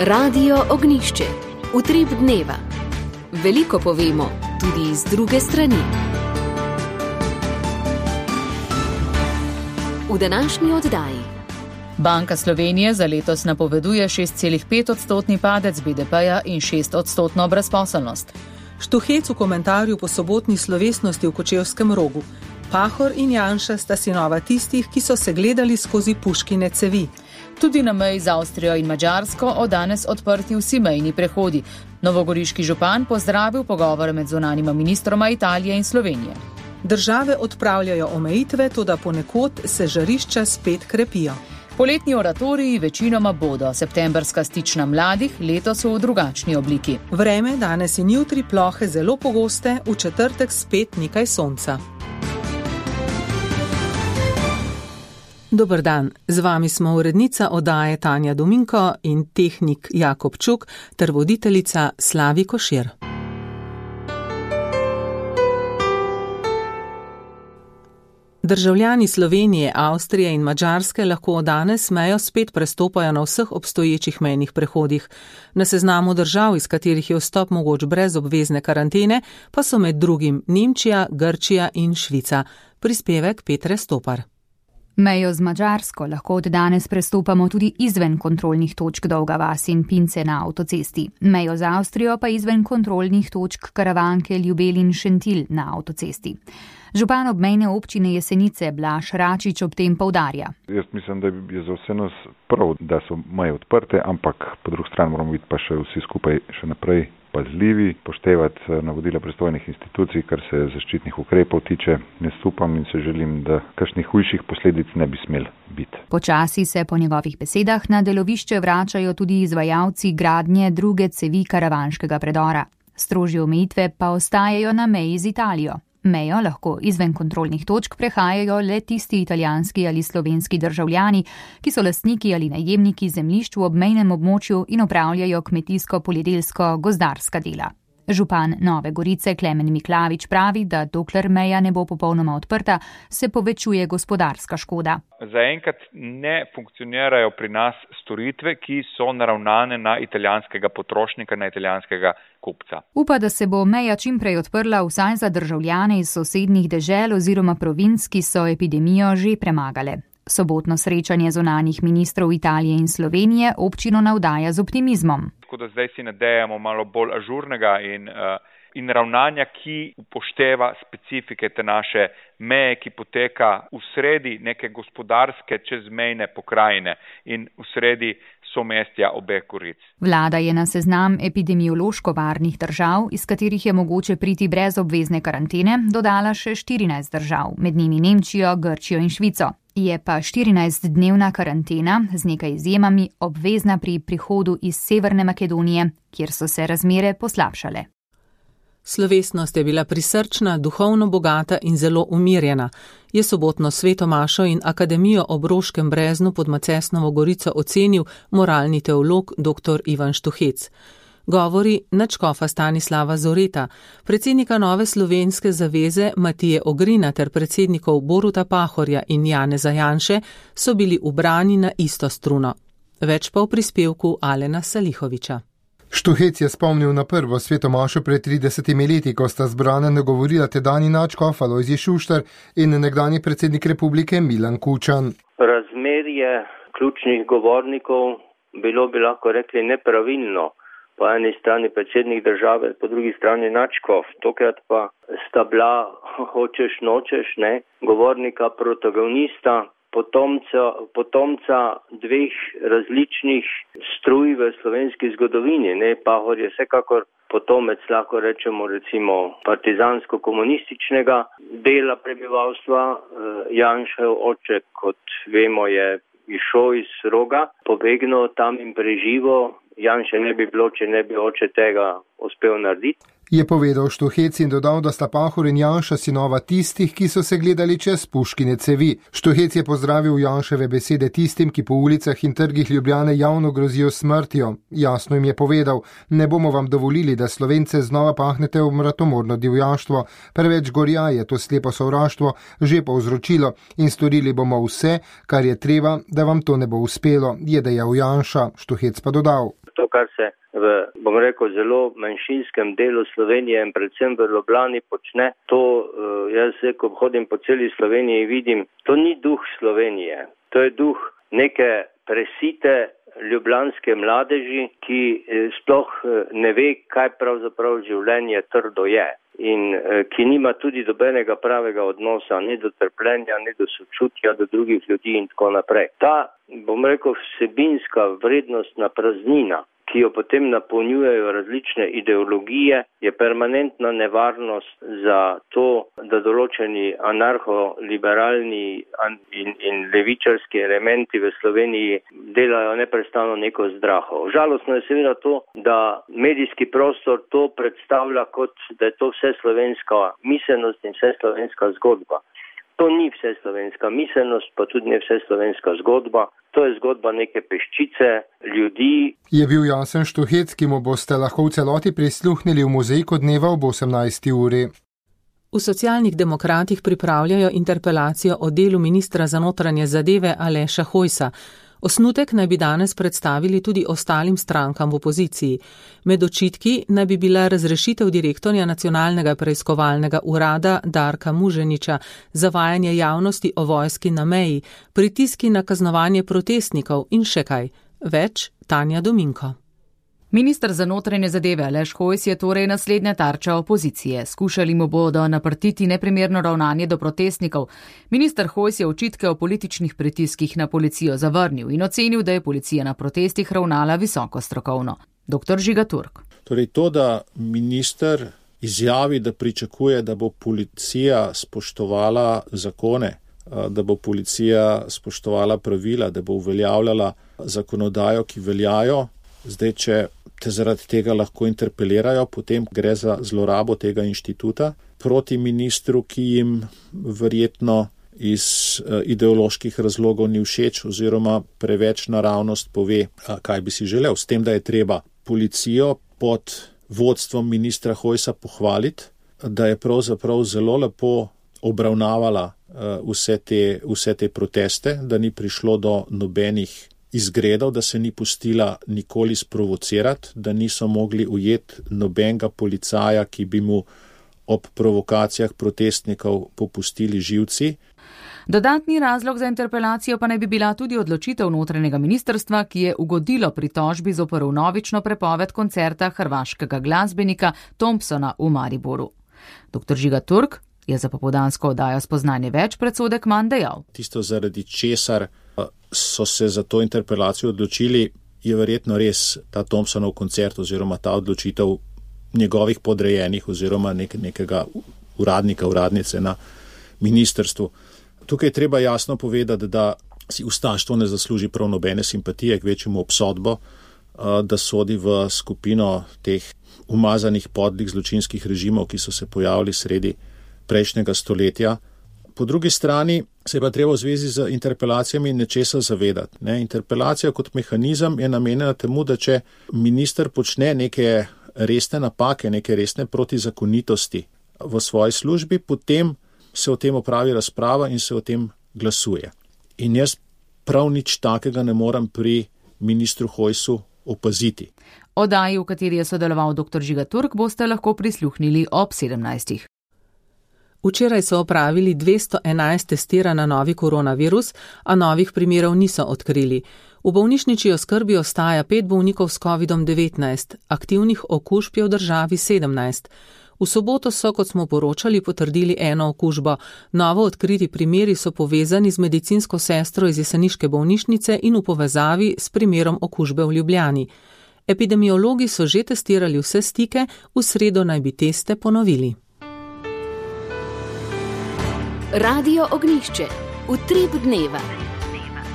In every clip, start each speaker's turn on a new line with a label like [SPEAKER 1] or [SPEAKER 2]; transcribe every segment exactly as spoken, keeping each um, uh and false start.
[SPEAKER 1] Radio Ognjišče. Utrip dneva. Veliko povemo, tudi iz druge strani. V današnji oddaji.
[SPEAKER 2] Banka Slovenije za letos napoveduje šest celih pet odstotni padec B D P-ja in šest odstotno brezposelnost.
[SPEAKER 3] Štuhec v komentarju po sobotni slovesnosti v Kočevskem Rogu. Pahor in Janša sta sinova tistih, ki so se gledali skozi puškine cevi.
[SPEAKER 2] Tudi na meji z Avstrijo in Madžarsko od danes odprti vsi mejni prehodi. Novogoriški župan pozdravil pogovore med zunanjima ministroma Italije in Slovenije.
[SPEAKER 3] Države odpravljajo omejitve, toda ponekod se žarišča spet krepijo.
[SPEAKER 2] Poletni oratoriji večinoma bodo, septembrska stična mladih letos v drugačni obliki.
[SPEAKER 3] Vreme danes in jutri plohe zelo pogoste, v četrtek spet nekaj sonca. Dober dan, z vami smo urednica oddaje Tanja Dominko in tehnik Jakob Čuk ter voditeljica Slavi Košir. Državljani Slovenije, Avstrije in Madžarske lahko od danes mejo spet prestopajo na vseh obstoječih mejnih prehodih. Na seznamu držav, iz katerih je vstop mogoč brez obvezne karantene, pa so med drugim Nemčija, Grčija in Švica. Prispevek Petre Stopar.
[SPEAKER 4] Mejo z Madžarsko lahko od danes prestopamo tudi izven kontrolnih točk Dolga vas in Pince na avtocesti. Mejo z Avstrijo pa izven kontrolnih točk Karavanke, Ljubelj in Šentilj na avtocesti. Župan obmejne občine Jesenice Blaž Račič ob tem poudarja.
[SPEAKER 5] Jaz mislim, da je za vse nas prav, da so meje odprte, ampak po drugi strani moramo biti pa še vsi skupaj še naprej pazljivi, poštevati navodila pristojnih institucij, kar se zaščitnih ukrepov tiče. Jaz upam in se želim, da kakšnih hujših posledic ne bi smel biti.
[SPEAKER 4] Počasi se po njegovih besedah na delovišče vračajo tudi izvajalci gradnje druge cevi karavanškega predora. Strožje omejitve pa ostajajo na meji z Italijo. Mejo lahko izven kontrolnih točk prehajajo le tisti italijanski ali slovenski državljani, ki so lastniki ali najemniki zemljišč v obmejnem območju in opravljajo kmetijsko-poljedelsko-gozdarska dela. Župan Nove Gorice Klemen Miklavič pravi, da dokler meja ne bo popolnoma odprta, se povečuje gospodarska škoda.
[SPEAKER 6] Zaenkrat ne funkcionirajo pri nas storitve, ki so naravnane na italijanskega potrošnika, na italijanskega kupca.
[SPEAKER 4] Upa, da se bo meja čim prej odprla vsaj za državljane iz sosednjih dežel oziroma provinc, ki so epidemijo že premagale. Sobotno srečanje zunanjih ministrov Italije in Slovenije občino navdaja z optimizmom.
[SPEAKER 6] Tako da zdaj si nadejamo malo bolj ažurnega in, uh, in ravnanja, ki upošteva specifike te naše meje, ki poteka v sredi neke gospodarske čezmejne pokrajine in v sredi somestja obeh goric.
[SPEAKER 4] Vlada je na seznam epidemiološko varnih držav, iz katerih je mogoče priti brez obvezne karantene, dodala še štirinajst držav, med njimi Nemčijo, Grčijo in Švico. Je pa štirinajstdnevna karantena z nekaj izjemami obvezna pri prihodu iz Severne Makedonije, kjer so se razmere poslabšale.
[SPEAKER 3] Slovesnost je bila prisrčna, duhovno bogata in zelo umirjena. Je sobotno Sveto mašo in Akademijo ob Roškem breznu pod Macesnovo Gorico ocenil moralni teolog dr. Ivan Štuhec. Govori nadškofa Stanislava Zoreta, predsednika Nove slovenske zaveze Matije Ogrina ter predsednikov Boruta Pahorja in Janeza Janše so bili ubrani na isto struno. Več pa v prispevku Alena Salihoviča.
[SPEAKER 7] Štuhec je spomnil na prvo sveto mašo pred tridesetimi leti, ko sta zbrana nagovorila tedajni nadškof Alojzij Šuštar in nekdanji predsednik republike Milan Kučan.
[SPEAKER 8] Razmerje ključnih govornikov bilo bi lahko rekli nepravilno. Po eni strani predsednik države, po drugi strani nadškof. Tokrat pa sta bila, hočeš nočeš, ne, govornika protagonista, potomca, potomca dveh različnih struj v slovenski zgodovini. Ne. Pahor je vsekakor potomec, lahko rečemo, recimo partizansko-komunističnega dela prebivalstva. Janšev oče, kot vemo, je išel iz Roga, pobegnil tam in preživel. Janše ne bi bilo, če ne bi oče tega uspel narediti.
[SPEAKER 7] Je povedal Štuhec in dodal, da sta Pahor in Janša sinova tistih, ki so se gledali čez puškine cevi. Štuhec je pozdravil Janševe besede tistim, ki po ulicah in trgih Ljubljane javno grozijo smrtjo. Jasno jim je povedal, ne bomo vam dovolili, da Slovence znova pahnete v mratomorno divjaštvo. Preveč gorja je to slepo sovraštvo že povzročilo in storili bomo vse, kar je treba, da vam to ne bo uspelo, je dejal Janša. Štuhec pa dodal.
[SPEAKER 8] To, kar se v, bom rekel, zelo manjšinskem delu Slovenije in predvsem v Ljubljani počne, to jaz, ko hodim po celi Sloveniji, vidim, to ni duh Slovenije. To je duh neke presite ljubljanske mladeži, ki sploh ne ve, kaj pravzaprav življenje trdo je. In ki nima tudi dobenega pravega odnosa, ne do trpljenja, ne do sočutja do drugih ljudi in tako naprej. Ta, bom rekel, vsebinska vrednostna praznina, ki jo potem napolnjujejo različne ideologije, je permanentna nevarnost za to, da določeni anarcho-liberalni in, in levičarski elementi v Sloveniji delajo neprestano neko zdraho. Žalostno je seveda to, da medijski prostor to predstavlja kot, da je to vse slovenska miselnost in vse slovenska zgodba. To ni vse slovenska miselnost, pa tudi ne vse slovenska zgodba. To je zgodba neke peščice ljudi.
[SPEAKER 7] Je bil Jansen Štuhec, ki mu boste lahko v celoti prisluhnili v Mozaiku dneva ob osemnajsti uri.
[SPEAKER 3] V Socialnih demokratih pripravljajo interpelacijo o delu ministra za notranje zadeve Aleša Hojsa. Osnutek naj bi danes predstavili tudi ostalim strankam v opoziciji. Med očitki naj bi bila razrešitev direktorja Nacionalnega preiskovalnega urada Darka Muženiča, zavajanje javnosti o vojski na meji, pritiski na kaznovanje protestnikov in še kaj. Več Tanja Dominko.
[SPEAKER 2] Minister za notranje zadeve Aleš Hojs je torej naslednja tarča opozicije. Skušali mu bodo naprtiti neprimerno ravnanje do protestnikov. Minister Hojs je očitke o političnih pritiskih na policijo zavrnil in ocenil, da je policija na protestih ravnala visoko strokovno. doktor Žiga Turk.
[SPEAKER 9] Torej to, da minister izjavi, da pričakuje, da bo policija spoštovala zakone, da bo policija spoštovala pravila, da bo uveljavljala zakonodajo, ki veljajo, zdaj, če te zaradi tega lahko interpelirajo, potem gre za zlorabo tega inštituta proti ministru, ki jim verjetno iz ideoloških razlogov ni všeč oziroma preveč naravnost pove, kaj bi si želel. S tem, da je treba policijo pod vodstvom ministra Hojsa pohvaliti, da je pravzaprav zelo lepo obravnavala vse te, vse te proteste, da ni prišlo do nobenih izgredov, da se ni pustila nikoli sprovocirati, da niso mogli ujeti nobenega policaja, ki bi mu ob provokacijah protestnikov popustili živci.
[SPEAKER 2] Dodatni razlog za interpelacijo pa naj bi bila tudi odločitev notranjega ministrstva, ki je ugodilo pritožbi zoper vnovično prepoved koncerta hrvaškega glasbenika Thompsona v Mariboru. doktor Žiga Turk je za popoldansko oddajo Spoznanje več predsodek manj dejal.
[SPEAKER 9] Tisto, zaradi česar so se za to interpelacijo odločili, je verjetno res ta Thompsonov koncert oziroma ta odločitev njegovih podrejenih oziroma nek, nekega uradnika, uradnice na ministrstvu. Tukaj je treba jasno povedati, da si ustaštvo ne zasluži prav nobene simpatije, k večjemu obsodbo, da sodi v skupino teh umazanih podlih zločinskih režimov, ki so se pojavili sredi prejšnjega stoletja. Po drugi strani se je pa treba v zvezi z interpelacijami nečesa zavedati. Ne? Interpelacija kot mehanizem je namenjena temu, da če minister počne neke resne napake, neke resne protizakonitosti v svoji službi, potem se o tem opravi razprava in se o tem glasuje. In jaz prav nič takega ne morem pri ministru Hojsu opaziti.
[SPEAKER 2] Oddaji, v kateri je sodeloval doktor Žiga Turk, boste lahko prisluhnili ob sedemnajstih.
[SPEAKER 3] Včeraj so opravili dvesto enajst testiranj na novi koronavirus, a novih primerov niso odkrili. V bolnišnični oskrbi ostaja pet bolnikov s kovidom devetnajst, aktivnih okužb je v državi sedemnajst. V soboto so, kot smo poročali, potrdili eno okužbo. Novo odkriti primeri so povezani z medicinsko sestro iz jeseniške bolnišnice in v povezavi s primerom okužbe v Ljubljani. Epidemiologi so že testirali vse stike, v sredo naj bi teste ponovili.
[SPEAKER 1] Radio Ognjišče, utrip dneva.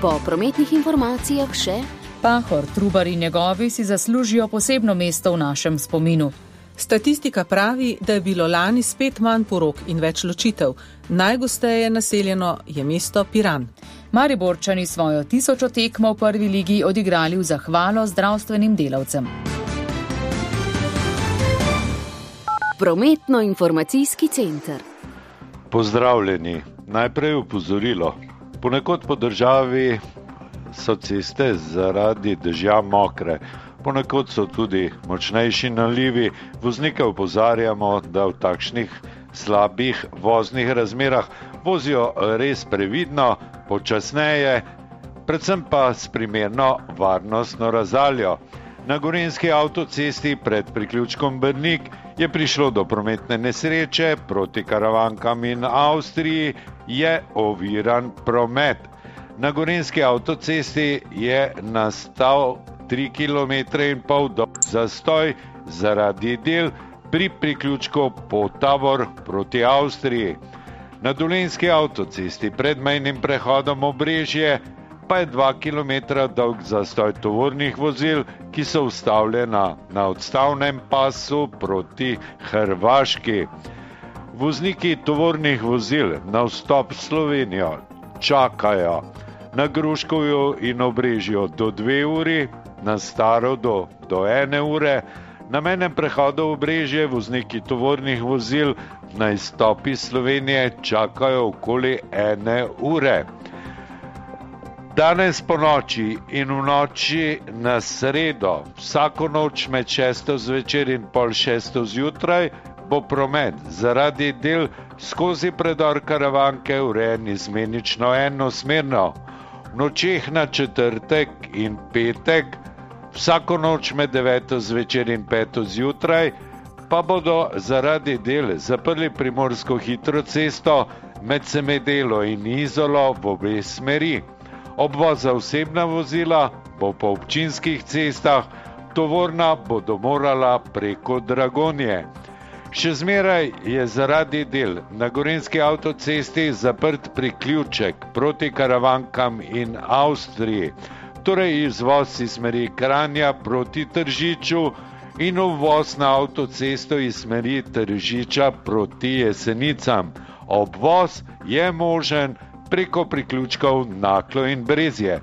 [SPEAKER 1] Po prometnih informacijah še
[SPEAKER 2] Pahor, Trubar in njegovi si zaslužijo posebno mesto v našem spominu.
[SPEAKER 3] Statistika pravi, da je bilo lani spet manj porok in več ločitev. Najgosteje naseljeno je mesto Piran.
[SPEAKER 2] Mariborčani svojo tisočo tekmo v prvi ligi odigrali v zahvalo zdravstvenim delavcem.
[SPEAKER 1] Prometno-informacijski center.
[SPEAKER 10] Pozdravljeni. Najprej opozorilo. Ponekod po državi so ceste zaradi dežja mokre. ponekod so tudi močnejši nalivi. Voznike opozarjamo, da v takšnih slabih voznih razmerah vozijo res previdno, počasneje, predvsem pa s primerno varnostno razdaljo. Na gorenjski avtocesti pred priključkom Brnik je prišlo do prometne nesreče, proti Karavankam in Avstriji je oviran promet. Na gorenjski avtocesti je nastal tri kilometre in pol dolg zastoj zaradi del pri priključku Potavor proti Avstriji. Na dolenjski avtocesti pred mejnim prehodom Obrežje pa je dva kilometra dolg zastoj tovornih vozil, ki so ustavljena na odstavnem pasu proti Hrvaški. Vozniki tovornih vozil na vstop v Slovenijo čakajo na Gruškovju in Obrežju do dve uri, na Staro do, do ene ure. Na mejnem prehodu Obrežje vozniki tovornih vozil na izstop iz Slovenije čakajo okoli ene ure. Danes po noči in v noči na sredo, vsako noč med šesto zvečer in pol šesto zjutraj, bo promet zaradi del skozi predor Karavanke urejen izmenično enosmerno. V nočeh na četrtek in petek, vsako noč med deveto zvečer in peto zjutraj, pa bodo zaradi del zaprli primorsko hitro cesto med Semedelo in Izolo v obe smeri. Obvoz za osebna vozila bo po občinskih cestah, tovorna bodo morala preko Dragonje. Še zmeraj je zaradi del na gorenjski avtocesti zaprt priključek proti Karavankam in Avstriji, torej izvoz iz smeri Kranja proti Tržiču in uvoz na avtocesto iz smeri Tržiča proti Jesenicam. Obvoz je možen preko priključkov Naklo in Brezje.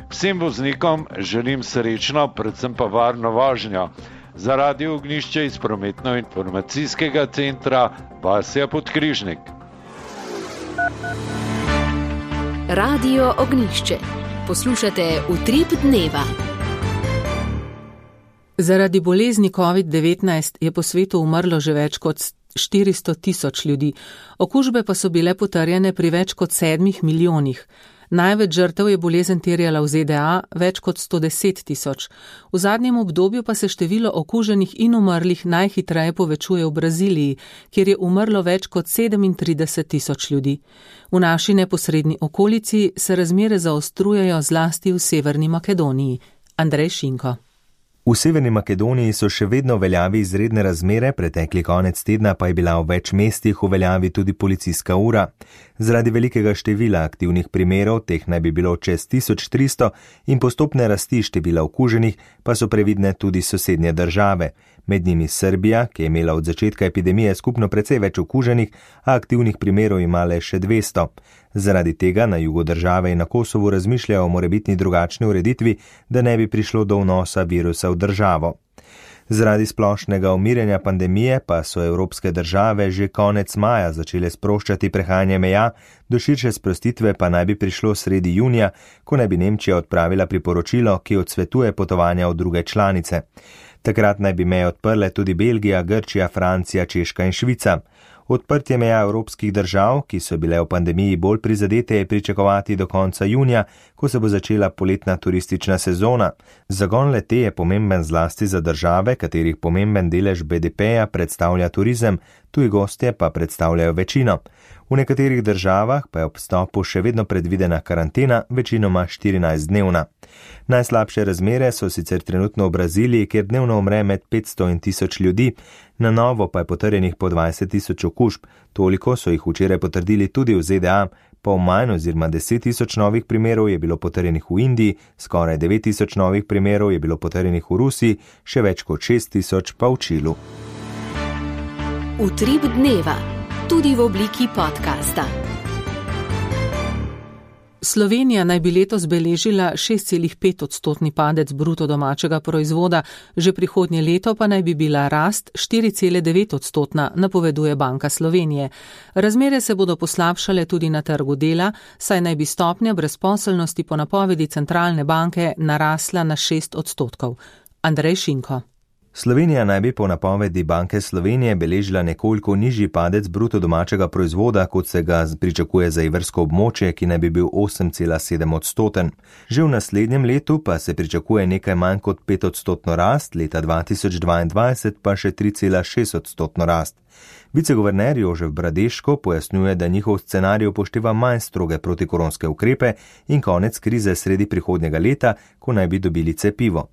[SPEAKER 10] Vsem voznikom želim srečno, predvsem pa varno vožnjo. Za Radio Ognjišče iz prometno-informacijskega centra Vasja Podkrižnik.
[SPEAKER 1] Radio Ognjišče. Poslušate Utrip dneva.
[SPEAKER 3] Zaradi bolezni covid devetnajst je po svetu umrlo že več kot štiristo tisoč ljudi, okužbe pa so bile potrjene pri več kot sedmih milijonih. Največ žrtev je bolezen terjala v Z D A, več kot sto deset tisoč. V zadnjem obdobju pa se število okuženih in umrlih najhitreje povečuje v Braziliji, kjer je umrlo več kot sedemintrideset tisoč ljudi. V naši neposredni okolici se razmere zaostrujejo zlasti v Severni Makedoniji. Andrej Šinko.
[SPEAKER 11] V Severni Makedoniji so še vedno v veljavi izredne razmere, pretekli konec tedna pa je bila v več mestih v veljavi tudi policijska ura. Zaradi velikega števila aktivnih primerov, teh naj bi bilo čez tisoč tristo, in postopne rasti števila okuženih, pa so previdne tudi sosednje države. Med njimi Srbija, ki je imela od začetka epidemije skupno precej več okuženih, a aktivnih primerov ima le še dvesto. Zaradi tega na jugu države in na Kosovu razmišljajo o morebitni drugačni ureditvi, da ne bi prišlo do vnosa virusa v državo. Zaradi splošnega umirjanja pandemije pa so evropske države že konec maja začele sproščati prehajanje meja, do širše sprostitve pa naj bi prišlo sredi junija, ko naj bi Nemčija odpravila priporočilo, ki odsvetuje potovanja v druge članice. Takrat naj bi meje odprle tudi Belgija, Grčija, Francija, Češka in Švica. Odprtje meja evropskih držav, ki so bile v pandemiji bolj prizadete, je pričakovati do konca junija, ko se bo začela poletna turistična sezona. Zagon le-te je pomemben zlasti za države, katerih pomemben delež B D P-ja predstavlja turizem, tuji gostje pa predstavljajo večino. V nekaterih državah pa je ob vstopu še vedno predvidena karantena, večinoma štirinajstdnevna. Najslabše razmere so sicer trenutno v Braziliji, kjer dnevno umre med petsto in tisoč ljudi, na novo pa je potrjenih po dvajset tisoč okužb, toliko so jih včeraj potrdili tudi v Z D A, pol manj oziroma deset tisoč novih primerov je bilo potrjenih v Indiji, skoraj devet tisoč novih primerov je bilo potrjenih v Rusiji, še več kot šest tisoč pa v Čilu.
[SPEAKER 1] Utrip dneva, tudi v obliki podcasta.
[SPEAKER 3] Slovenija naj bi letos beležila šest celih pet odstotni padec bruto domačega proizvoda, že prihodnje leto pa naj bi bila rast štiri cele devet odstotna, napoveduje Banka Slovenije. Razmere se bodo poslabšale tudi na trgu dela, saj naj bi stopnja brezposelnosti po napovedi centralne banke narasla na šest odstotkov. Andrej Šinko.
[SPEAKER 11] Slovenija naj bi po napovedi Banke Slovenije beležila nekoliko nižji padec bruto domačega proizvoda, kot se ga pričakuje za evrsko območje, ki naj bi bil osem cela sedem odstoten. Že v naslednjem letu pa se pričakuje nekaj manj kot pet odstotno rast, leta dva tisoč dvaindvajset pa še tri cela šest odstotno rast. Viceguverner Jožef Bradeško pojasnjuje, da njihov scenarij upošteva manj stroge protikoronske ukrepe in konec krize sredi prihodnjega leta, ko naj bi dobili cepivo.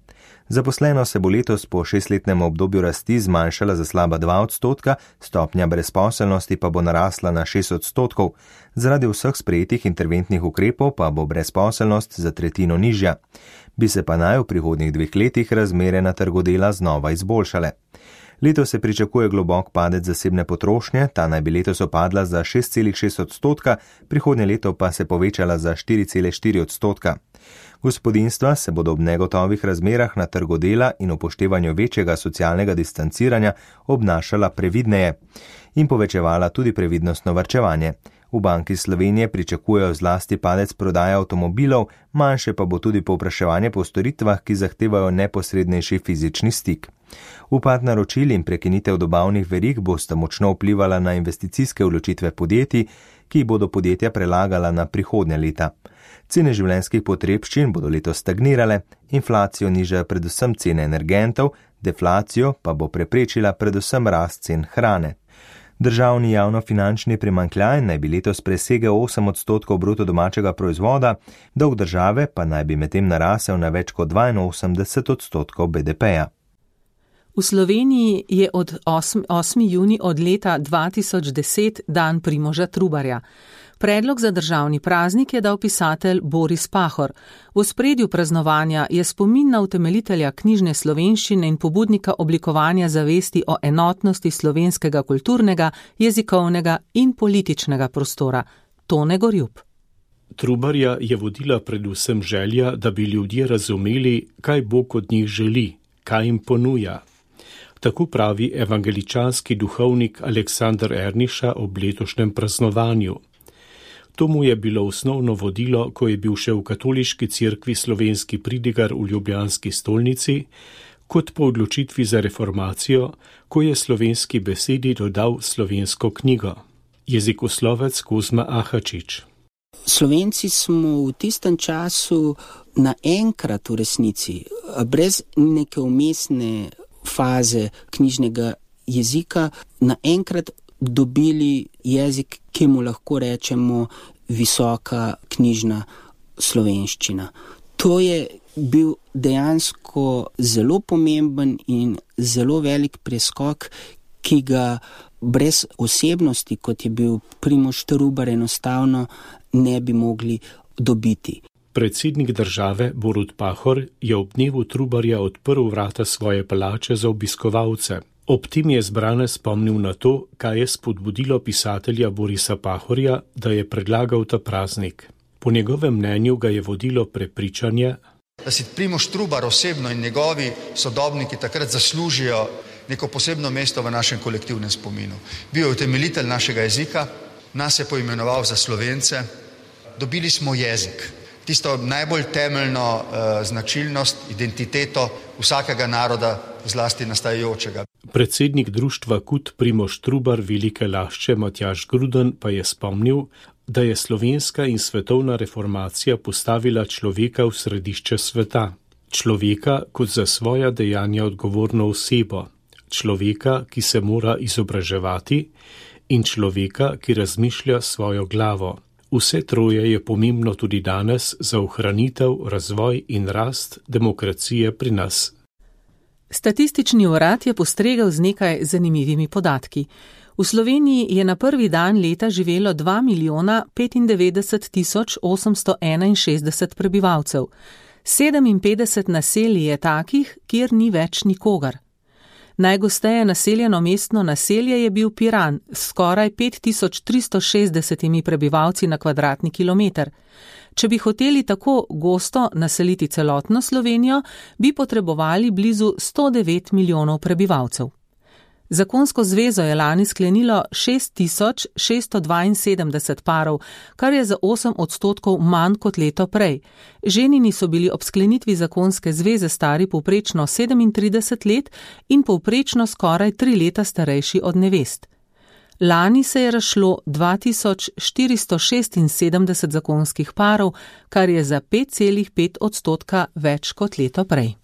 [SPEAKER 11] Zaposleno se bo letos po šestletnem obdobju rasti zmanjšala za slaba dva odstotka, stopnja brezposelnosti pa bo narasla na šest odstotkov. Zaradi vseh sprejetih interventnih ukrepov pa bo brezposelnost za tretjino nižja. Bi se pa naj v prihodnjih dveh letih razmere na trgu dela znova izboljšale. Letos se pričakuje globok padec zasebne potrošnje, ta naj bi letos opadla za šest cela šest odstotka, prihodnje leto pa se povečala za štiri cela štiri odstotka. Gospodinjstva se bodo ob negotovih razmerah na trgu dela in upoštevanju večjega socialnega distanciranja obnašala previdneje in povečevala tudi previdnostno varčevanje. V Banki Slovenije pričakujejo zlasti padec prodaje avtomobilov, manjše pa bo tudi povpraševanje po storitvah, ki zahtevajo neposrednejši fizični stik. Upad naročil in prekinitev dobavnih verig bosta močno vplivala na investicijske odločitve podjetij, ki bodo podjetja prelagala na prihodnje leta. Cene življenjskih potrebščin bodo letos stagnirale, inflacijo nižajo predvsem cene energentov, deflacijo pa bo preprečila predvsem rast cen hrane. Državni javnofinančni primanjkljaj naj bi letos presegel osem odstotkov bruto domačega proizvoda, dolg države pa naj bi medtem narasel na več kot dvainosemdeset odstotkov B D P-ja.
[SPEAKER 3] V Sloveniji je od osmega junija od leta dva tisoč deset dan Primoža Trubarja. Predlog za državni praznik je dal pisatelj Boris Pahor. V ospredju praznovanja je spomin na utemeljitelja knjižne slovenščine in pobudnika oblikovanja zavesti o enotnosti slovenskega kulturnega, jezikovnega in političnega prostora. Tone Gorjup.
[SPEAKER 12] Trubarja je vodila predvsem želja, da bi ljudje razumeli, kaj Bog od njih želi, kaj jim ponuja. Tako pravi evangeličanski duhovnik Aleksander Erniša ob letošnjem praznovanju. To mu je bilo osnovno vodilo, ko je bil še v katoliški cerkvi slovenski pridigar v ljubljanski stolnici, kot po odločitvi za reformacijo, ko je slovenski besedi dodal slovensko knjigo. Jezikoslovec Kozma Ahačič.
[SPEAKER 13] Slovenci smo v tistem času naenkrat v resnici, brez neke umestne faze knjižnega jezika, naenkrat dobili jezik, ki mu lahko rečemo visoka knjižna slovenščina. To je bil dejansko zelo pomemben in zelo velik preskok, ki ga brez osebnosti, kot je bil Primož Trubar, enostavno ne bi mogli dobiti.
[SPEAKER 12] Predsednik države Borut Pahor je ob dnevu Trubarja odprl vrata svoje palače za obiskovalce. Ob tem je zbrane spomnil na to, kaj je spodbudilo pisatelja Borisa Pahorja, da je predlagal ta praznik. Po njegovem mnenju ga je vodilo prepričanje,
[SPEAKER 14] da si Primož Trubar osebno in njegovi sodobniki takrat zaslužijo neko posebno mesto v našem kolektivnem spominu. Bil je utemeljitelj našega jezika, nas je poimenoval za Slovence, dobili smo jezik. Tisto najbolj temeljno uh, značilnost, identiteto vsakega naroda, zlasti nastajajočega.
[SPEAKER 12] Predsednik društva Kut Primož Trubar Velike Lašče Matjaž Gruden pa je spomnil, da je slovenska in svetovna reformacija postavila človeka v središče sveta. Človeka kot za svoja dejanja odgovorno osebo. Človeka, ki se mora izobraževati, in človeka, ki razmišlja svojo glavo. Vse troje je pomembno tudi danes za ohranitev, razvoj in rast demokracije pri nas.
[SPEAKER 3] Statistični urad je postregel z nekaj zanimivimi podatki. V Sloveniji je na prvi dan leta živelo dva milijona petindevetdeset tisoč osemsto enainšestdeset prebivalcev. sedeminpetdeset naselij je takih, kjer ni več nikogar. Najgosteje naseljeno mestno naselje je bil Piran s skoraj pet tisoč tristo šestdeset prebivalci na kvadratni kilometer. Če bi hoteli tako gosto naseliti celotno Slovenijo, bi potrebovali blizu sto devet milijonov prebivalcev. Zakonsko zvezo je lani sklenilo šest tisoč šeststo dvainsedemdeset parov, kar je za osem odstotkov manj kot leto prej. Ženini so bili ob sklenitvi zakonske zveze stari povprečno sedemintrideset let in povprečno skoraj tri leta starejši od nevest. Lani se je razšlo dva tisoč štiristo šestinsedemdeset zakonskih parov, kar je za pet celih pet odstotka več kot leto prej.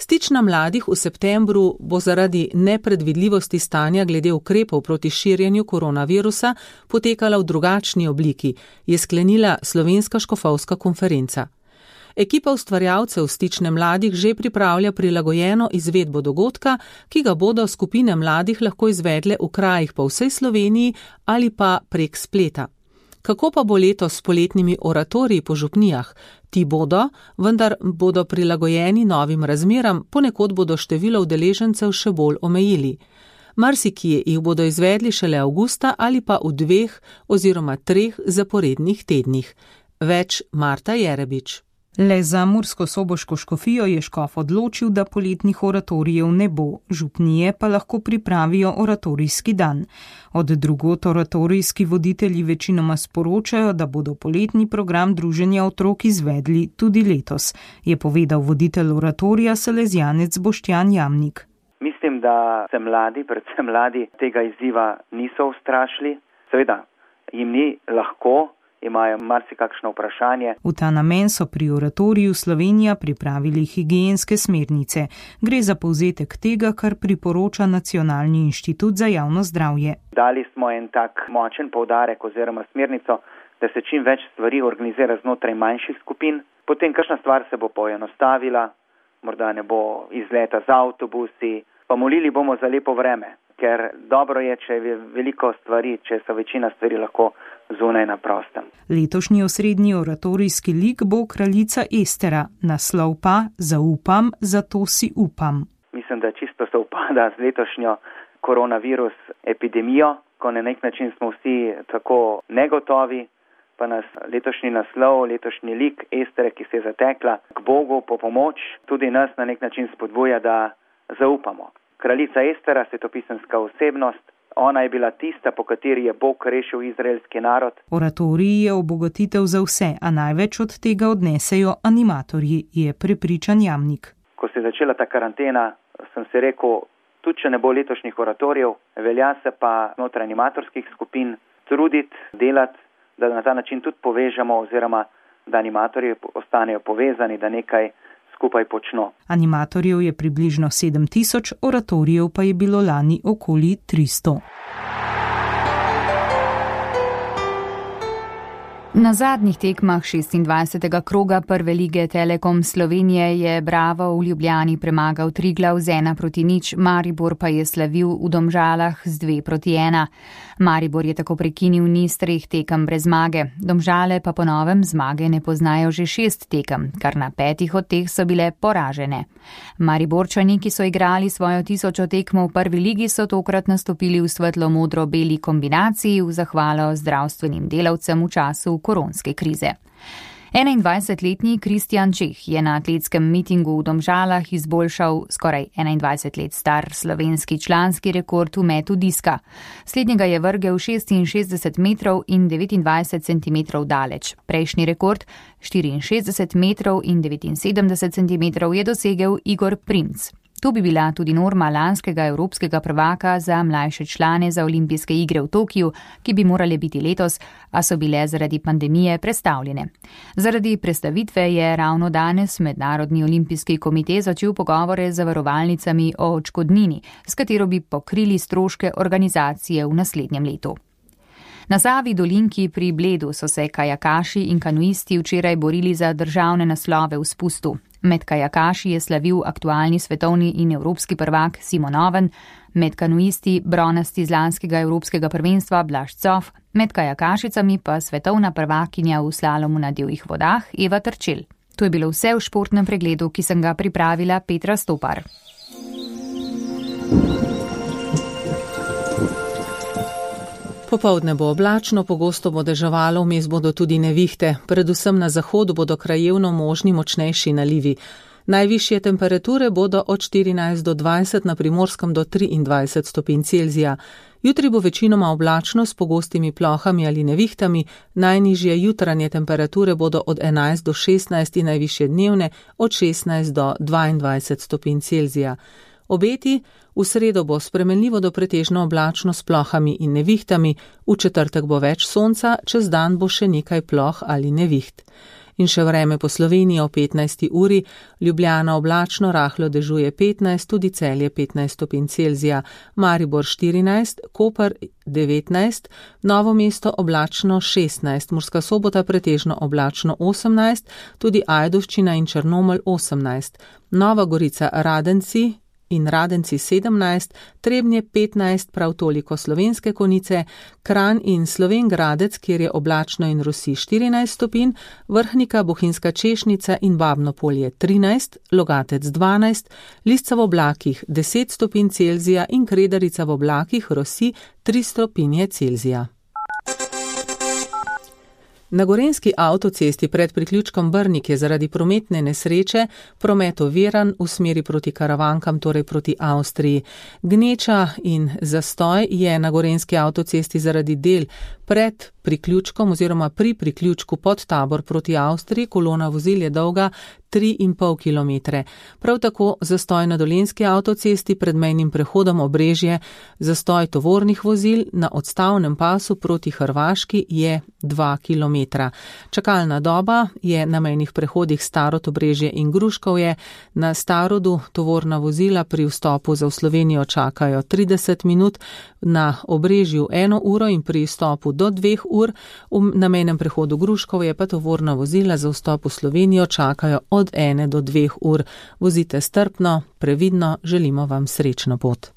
[SPEAKER 3] Stična mladih v septembru bo zaradi nepredvidljivosti stanja glede ukrepov proti širjenju koronavirusa potekala v drugačni obliki, je sklenila Slovenska škofovska konferenca. Ekipa ustvarjalcev Stične mladih že pripravlja prilagojeno izvedbo dogodka, ki ga bodo skupine mladih lahko izvedle v krajih po vsej Sloveniji ali pa prek spleta. Kako pa bo letos s poletnimi oratoriji po župnijah? Ti bodo, vendar bodo prilagojeni novim razmeram, ponekod bodo število udeležencev še bolj omejili. Marsikje jih bodo izvedli šele avgusta ali pa v dveh oziroma treh zaporednih tednih. Več Marta Jerebič.
[SPEAKER 15] Le za Mursko-Soboško škofijo je škof odločil, da poletnih oratorijev ne bo, župnije pa lahko pripravijo oratorijski dan. Od drugot oratorijski voditelji večinoma sporočajo, da bodo poletni program druženja otrok izvedli tudi letos, je povedal voditelj oratorija salezjanec Boštjan Jamnik.
[SPEAKER 16] Mislim, da se mladi, predvsem mladi, tega izziva niso ustrašili. Seveda, jim ni lahko, imajo marsikakšno vprašanje.
[SPEAKER 15] V ta namen so pri oratoriju Slovenija pripravili higienske smernice. Gre za povzetek tega, kar priporoča Nacionalni inštitut za javno zdravje.
[SPEAKER 16] Dali smo en tak močen poudarek oziroma smernico, da se čim več stvari organizira znotraj manjših skupin. Potem kakšna stvar se bo poenostavila, morda ne bo izleta z avtobusi, pa molili bomo za lepo vreme, ker dobro je, če je veliko stvari, če so večina stvari lahko zunaj na prostem.
[SPEAKER 15] Letošnji osrednji oratorijski lik bo Kraljica Estera, naslov pa Zaupam, zato si upam.
[SPEAKER 16] Mislim, da čisto se upada z letošnjo koronavirus epidemijo, ko na nek način smo vsi tako negotovi, pa nas letošnji naslov, letošnji lik Estere, ki se je zatekla k Bogu po pomoč, tudi nas na nek način spodbuja, da zaupamo. Kraljica Estera, svetopisemska osebnost, ona je bila tista, po kateri je Bog rešil izraelski narod.
[SPEAKER 15] Oratorij je obogatitev za vse, a največ od tega odnesejo animatorji, je prepričan Jamnik.
[SPEAKER 16] Ko se je začela ta karantena, sem si rekel, tudi če ne bo letošnjih oratorijev, velja se pa znotraj animatorskih skupin truditi, delati, da na ta način tudi povežemo oziroma da animatorji ostanejo povezani, da nekaj skupaj počno.
[SPEAKER 15] Animatorjev je približno sedem tisoč, oratorijev pa je bilo lani okoli tristo.
[SPEAKER 4] Na zadnjih tekmah šestindvajsetega kroga prve lige Telekom Slovenije je Bravo v Ljubljani premagal Triglav z ena proti nič, Maribor pa je slavil v Domžalah z dve proti ena. Maribor je tako prekinil niz treh tekem brez zmage, Domžale pa po novem zmage ne poznajo že šest tekem, kar na petih od teh so bile poražene. Mariborčani, ki so igrali svojo tisočo tekmo v prvi ligi, so tokrat nastopili v svetlo-modro-beli kombinaciji v zahvalo zdravstvenim delavcem v času koronske krize. enaindvajsetletni Kristjan Čeh je na atletskem mitingu v Domžalah izboljšal skoraj enaindvajset let star slovenski članski rekord v metu diska. Slednjega je vrgel šestinšestdeset metrov in devetindvajset centimetrov daleč. Prejšnji rekord, štiriinšestdeset metrov in devetinsedemdeset centimetrov, je dosegel Igor Primc. To bi bila tudi norma lanskega evropskega prvaka za mlajše člane za olimpijske igre v Tokiju, ki bi morale biti letos, a so bile zaradi pandemije prestavljene. Zaradi prestavitve je ravno danes Mednarodni olimpijski komite začel pogovore z zavarovalnicami o odškodnini, s katero bi pokrili stroške organizacije v naslednjem letu. Na Savi dolinki pri Bledu so se kajakaši in kanuisti včeraj borili za državne naslove v spustu. Med kajakaši je slavil aktualni svetovni in evropski prvak Simon Oven, med kanuisti bronasti z lanskega evropskega prvenstva Blaž Cof, med kajakašicami pa svetovna prvakinja v slalomu na divjih vodah Eva Trčel. To je bilo vse v športnem pregledu, ki sem ga pripravila Petra Stopar.
[SPEAKER 3] Popoldne bo oblačno, pogosto bo deževalo, vmes bodo tudi nevihte. Predvsem na zahodu bodo krajevno možni močnejši nalivi. Najvišje temperature bodo od štirinajst do dvajset, na Primorskem do triindvajset stopinj Celzija. Jutri bo večinoma oblačno s pogostimi plohami ali nevihtami, najnižje jutranje temperature bodo od enajst do šestnajst in najvišje dnevne od šestnajst do dvaindvajset stopinj Celzija. Obeti: v sredo bo spremenljivo do pretežno oblačno s plohami in nevihtami, v četrtek bo več sonca, čez dan bo še nekaj ploh ali neviht. In še vreme po Sloveniji o petnajsti uri: Ljubljana oblačno, rahlo dežuje petnajst, tudi Celje petnajst stopinj Celzija, Maribor štirinajst, Koper devetnajst, Novo mesto oblačno šestnajst, Murska Sobota pretežno oblačno osemnajst, tudi Ajdovščina in Črnomelj osemnajst, Nova Gorica, Radenci in Radenci sedemnajst, Trebnje petnajst, prav toliko Slovenske Konjice, Kranj in Slovenj Gradec, kjer je oblačno in rosi štirinajst stopinj, Vrhnika, Bohinjska Češnica in Babno Polje trinajst, Logatec dvanajst, Lisca v oblakih deset stopinj Celzija in Kredarica v oblakih rosi tri stopinje Celzija. Na gorenjski avtocesti pred priključkom Brnik je zaradi prometne nesreče promet oviran v smeri proti Karavankam, torej proti Avstriji. Gneča in zastoj je na gorenjski avtocesti zaradi del pred priključkom oziroma pri priključku pod Tabor proti Avstriji. Kolona vozil je dolga tri in pol kilometre. Prav tako zastoj na dolenjski avtocesti pred mejnim prehodom Obrežje, zastoj tovornih vozil na odstavnem pasu proti Hrvaški je dva kilometra. Čakalna doba je na mejnih prehodih Starod, Obrežje in Gruškovje. Na Starodu tovorna vozila pri vstopu za v Slovenijo čakajo trideset minut, na Obrežju eno uro in pri vstopu do dveh ur, na mejnem prehodu Gruškovje pa tovorna vozila za vstop v Slovenijo čakajo od ene do dveh ur. Vozite strpno, previdno, želimo vam srečno pot.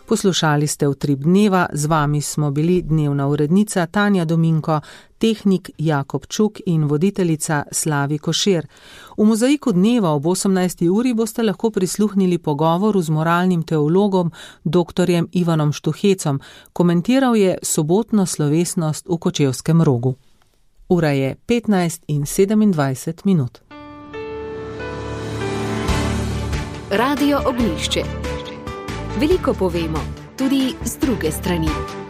[SPEAKER 3] Poslušali ste Utrip dneva, z vami smo bili dnevna urednica Tanja Dominko, tehnik Jakob Čuk in voditeljica Slavi Košir. V Mozaiku dneva ob osemnajsti uri boste lahko prisluhnili pogovoru z moralnim teologom doktorjem Ivanom Štuhecom. Komentiral je sobotno slovesnost v Kočevskem Rogu. Ura je petnajst in sedemindvajset minut.
[SPEAKER 1] Radio Ognjišče. Veliko povemo, tudi z druge strani.